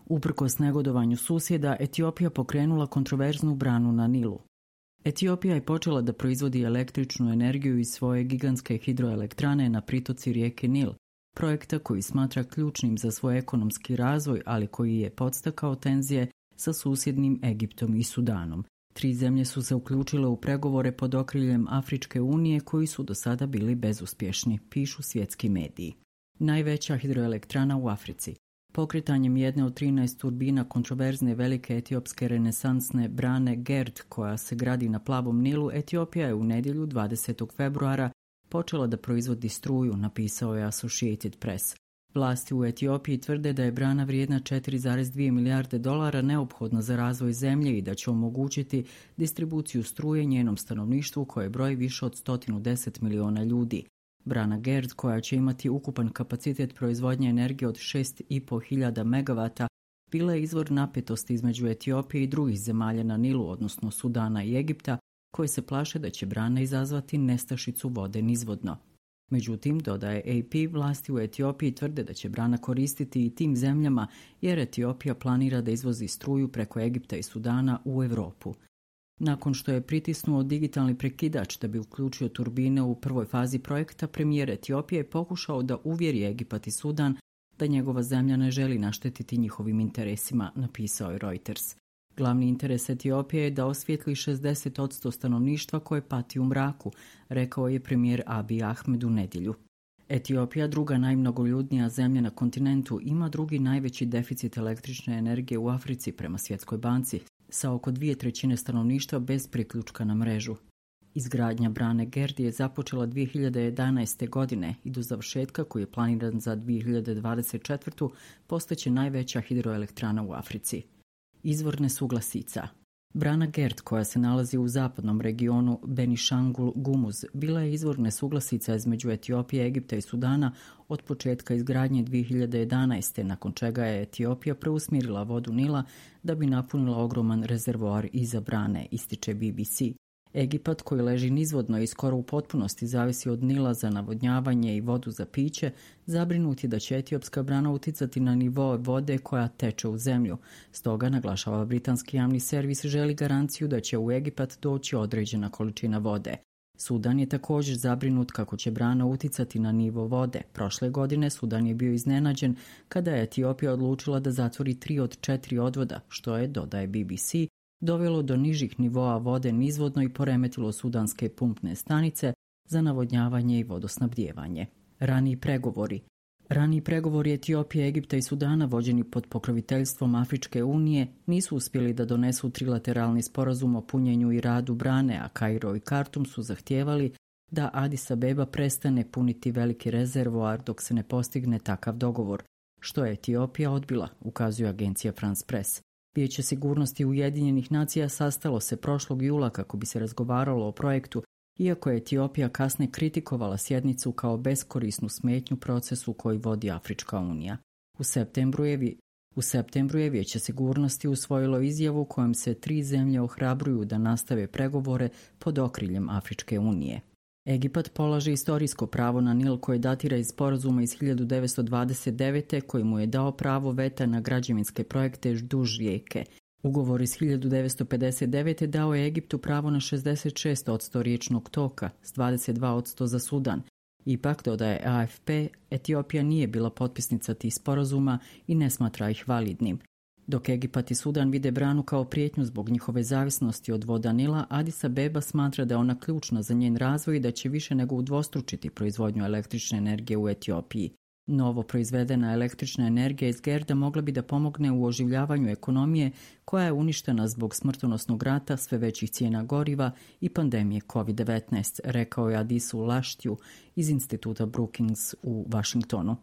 Uprkos negodovanju susjeda, Etiopija pokrenula kontroverznu branu na Nilu. Etiopija je počela da proizvodi električnu energiju iz svoje gigantske hidroelektrane na pritoci rijeke Nil, projekta koji smatra ključnim za svoj ekonomski razvoj, ali koji je podstakao tenzije sa susjednim Egiptom i Sudanom. 3 zemlje su se uključile u pregovore pod okriljem Afričke unije koji su do sada bili bezuspješni, pišu svjetski mediji. Najveća hidroelektrana u Africi. Pokretanjem jedne od 13 turbina kontroverzne velike etiopske renesansne brane Gerd, koja se gradi na plavom Nilu, Etiopija je u nedjelju 20. februara počela da proizvodi struju, napisao je Associated Press. Vlasti u Etiopiji tvrde da je brana vrijedna 4,2 milijarde dolara neophodna za razvoj zemlje i da će omogućiti distribuciju struje njenom stanovništvu koje broji više od 110 miliona ljudi. Brana Gerd, koja će imati ukupan kapacitet proizvodnje energije od 6.500 megavata, bila je izvor napetosti između Etiopije i drugih zemalja na Nilu, odnosno Sudana i Egipta, koje se plaše da će brana izazvati nestašicu vode nizvodno. Međutim, dodaje AP, vlasti u Etiopiji tvrde da će brana koristiti i tim zemljama jer Etiopija planira da izvozi struju preko Egipta i Sudana u Europu. Nakon što je pritisnuo digitalni prekidač da bi uključio turbine u prvoj fazi projekta, premijer Etiopije je pokušao da uvjeri Egipat i Sudan da njegova zemlja ne želi naštetiti njihovim interesima, napisao je Reuters. Glavni interes Etiopije je da osvijetli 60% stanovništva koje pati u mraku, rekao je premijer Abiy Ahmed u nedjelju. Etiopija, druga najmnogoljudnija zemlja na kontinentu, ima drugi najveći deficit električne energije u Africi prema Svjetskoj banci, sa oko 2/3 stanovništva bez priključka na mrežu. Izgradnja brane Gerd je započela 2011. godine i do završetka, koji je planiran za 2024. postaće najveća hidroelektrana u Africi. Izvor nesuglasica. Brana Gerd, koja se nalazi u zapadnom regionu Benishangul Gumuz, bila je izvor nesuglasica između Etiopije, Egipta i Sudana od početka izgradnje 2011. nakon čega je Etiopija preusmjerila vodu Nila da bi napunila ogroman rezervoar iza brane, ističe BBC. Egipat, koji leži nizvodno i skoro u potpunosti zavisi od Nila za navodnjavanje i vodu za piće, zabrinut je da će etiopska brana uticati na nivo vode koja teče u zemlju. Stoga, naglašava britanski javni servis, želi garanciju da će u Egipat doći određena količina vode. Sudan je također zabrinut kako će brana uticati na nivo vode. Prošle godine Sudan je bio iznenađen kada je Etiopija odlučila da zatvori 3 od 4 odvoda, što je, dodaje BBC, dovelo do nižih nivoa vode nizvodno i poremetilo sudanske pumpne stanice za navodnjavanje i vodosnabdijevanje. Raniji pregovori Etiopije, Egipta i Sudana, vođeni pod pokroviteljstvom Afričke unije, nisu uspjeli da donesu trilateralni sporazum o punjenju i radu brane, a Kairo i Kartum su zahtijevali da Addis Abeba prestane puniti veliki rezervoar dok se ne postigne takav dogovor, što je Etiopija odbila, ukazuje agencija France Press. Vijeće sigurnosti Ujedinjenih nacija sastalo se prošlog jula kako bi se razgovaralo o projektu, iako je Etiopija kasnije kritikovala sjednicu kao beskorisnu smetnju procesu koji vodi Afrička unija. U septembru je Vijeće sigurnosti usvojilo izjavu kojom se 3 zemlje ohrabruju da nastave pregovore pod okriljem Afričke unije. Egipat polaže istorijsko pravo na Nil koje datira iz sporazuma iz 1929. koji mu je dao pravo veta na građevinske projekte duž rijeke. Ugovor iz 1959. dao je Egiptu pravo na 66% riječnog toka, s 22% za Sudan. Ipak, dodaje AFP, Etiopija nije bila potpisnica tih sporazuma i ne smatra ih validnim. Dok Egipat i Sudan vide branu kao prijetnju zbog njihove zavisnosti od voda Nila, Addis Abeba smatra da je ona ključna za njen razvoj i da će više nego udvostručiti proizvodnju električne energije u Etiopiji. Novo proizvedena električna energija iz Gerda mogla bi da pomogne u oživljavanju ekonomije koja je uništena zbog smrtonosnog rata, sve većih cijena goriva i pandemije COVID-19, rekao je Adisu Laštiju iz instituta Brookings u Washingtonu.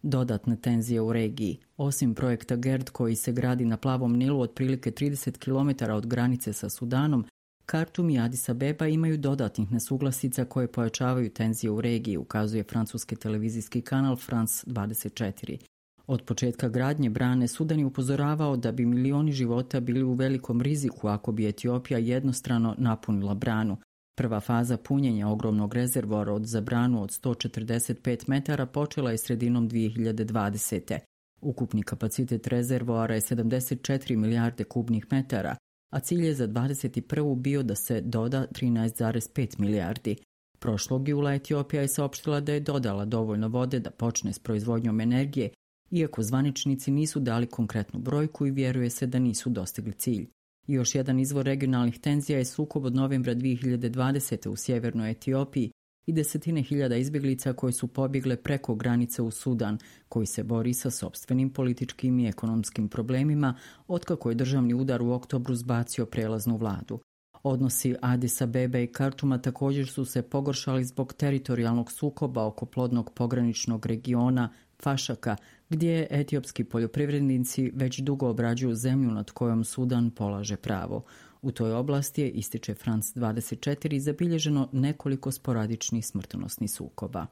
Dodatne tenzije u regiji. Osim projekta Gerd koji se gradi na plavom Nilu otprilike 30 km od granice sa Sudanom, Kartum i Addis Abeba imaju dodatnih nesuglasica koje pojačavaju tenzije u regiji, ukazuje francuski televizijski kanal France 24. Od početka gradnje brane Sudan je upozoravao da bi milioni života bili u velikom riziku ako bi Etiopija jednostrano napunila branu. Prva faza punjenja ogromnog rezervoara za branu od 145 metara počela je sredinom 2020. Ukupni kapacitet rezervoara je 74 milijarde kubnih metara, a cilj je za 2021. bio da se doda 13,5 milijardi. Prošlog jula Etiopija je saopštila da je dodala dovoljno vode da počne s proizvodnjom energije, iako zvaničnici nisu dali konkretnu brojku i vjeruje se da nisu dostigli cilj. I još jedan izvor regionalnih tenzija je sukob od novembra 2020. u sjevernoj Etiopiji i desetine hiljada izbjeglica koje su pobjegle preko granice u Sudan, koji se bori sa sopstvenim političkim i ekonomskim problemima otkako je državni udar u oktobru zbacio prelaznu vladu. Odnosi Adis Abebe i Kartuma također su se pogoršali zbog teritorijalnog sukoba oko plodnog pograničnog regiona Fašaka, gdje etiopski poljoprivrednici već dugo obrađuju zemlju nad kojom Sudan polaže pravo. U toj oblasti je, ističe France 24, zabilježeno nekoliko sporadičnih smrtonosnih sukoba.